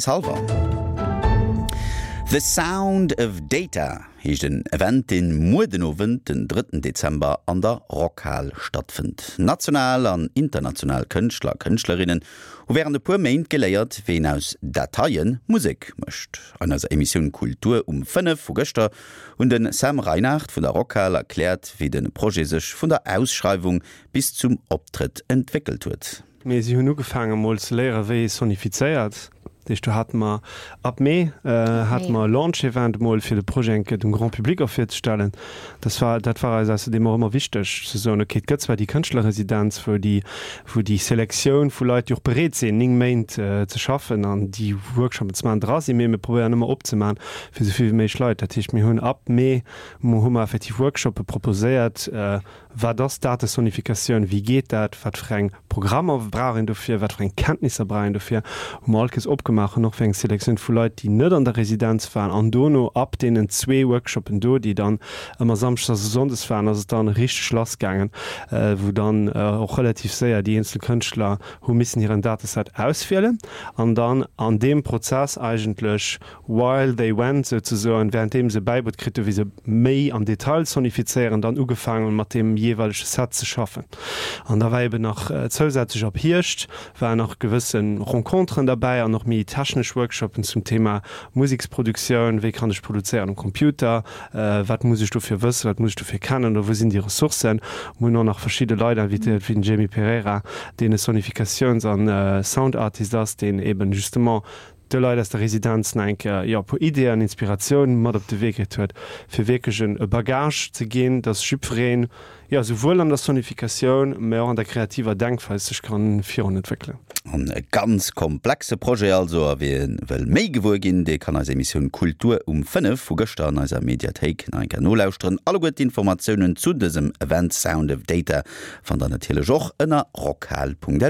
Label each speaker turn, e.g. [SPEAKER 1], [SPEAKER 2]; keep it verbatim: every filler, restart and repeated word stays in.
[SPEAKER 1] Hallwer. The Sound of Data heescht en Event, deen muer den Owend, den drëtten Dezember an der Rockhal stattfënnt. National an international Kënschtler a Kënschtlerinnen hu wärend e puer Méint geléiert, wéi een aus Dateie Musek mécht. An eiser Emissioun Kultur um fënnef vu gëschter hunn de Sam Reinard vun der Rockhal erkläert, wéi de Projet sech vun der Ausschreiwung bis zum Optrëtt entwéckelt huet.
[SPEAKER 2] Mee si hunn ugefaange mol ze léieren, wéi ee sonifizéiert. Dat heescht, do hate mer ab Mee hate mer e Launch-Event mol fir de Projet eng Kéier dem Grand Public och virzestellen. Dat war, dat war eis ausserdeem och ëmmer wichteg ze soen, okay, et gëtt zwar déi Kënschtlerresidenz, wou déi, wou déi Selektioun vu Leit, déi och bereet sinn, néng Méint ze schaffen an déi Workshoppen ze maachen, dra sinn, mee mir probéieren ëmmer opzemaachen fir esou vill wéi méiglech Leit. Dat heescht, mir hunn ab Mee hu mer effektiv Workshoppe proposéiert, Wat ass Datesonifikatioun? Wéi geet dat? Wat fir eng Programmer brauch een dofir? Wat fir eng Kenntnisser brauch een dofir? Hu mer all Kees opgemaach an och fir eng Selektioun vu Leit, déi net an der Residenz waren. An dono, ab deenen zwee Workshoppen do, déi dann ëmmer samschdes a sonndes waren, ass et dann richteg lass gaangen, wou dann och relativ séier déi eenzel Kënschtler hu missen hiren Dateset auswielen an dann an deem Prozess eigentlech while they went souzesoen, währenddeem se bäibruet kritt hu wéi se méi am Detail sonifizéieren, dann ugefaangen hunn mat deem jeeweilege Set ze schaffen. An da war eben nach zousätzlech ab Hierscht waren nach gewësse Renconteren derbäi an och méi technesch Workshoppen zum Thema Museksproduktioun, wéi kann ech produzéieren um Computer, wat muss ech dofir wëssen, wat muss ech dofir kennen oder wou sinn déi Ressourcen. Mir hunn och nach verschidde Leit invitéiert, wéi den Jamie Pereira, deen e Sonifikatiouns an Soundartist ass, deen eben justement de Leit aus der Residenz nach eng Kéier, jo, e puer Ideeën an Inspiratioun mat op de Wee kritt huet, fir wierklech en e Bagage ze ginn, dass jiddwereen, jo, souwuel an der Sonifikatioun, mä och an der kreativer Denkweis sech kann virun entwéckelen.
[SPEAKER 1] En ganz komplexe Projet also, a wie wëll méi gewuer ginn, dee kann eis Emissioun Kultur um fënnef vu gëschter an eiser Mediathéik nach eng Kéier nolauschteren. Alleguer d'Informatiounen zu dësem Event Sound of Data fannt der natierlech och ënner rockhal Punkt lu.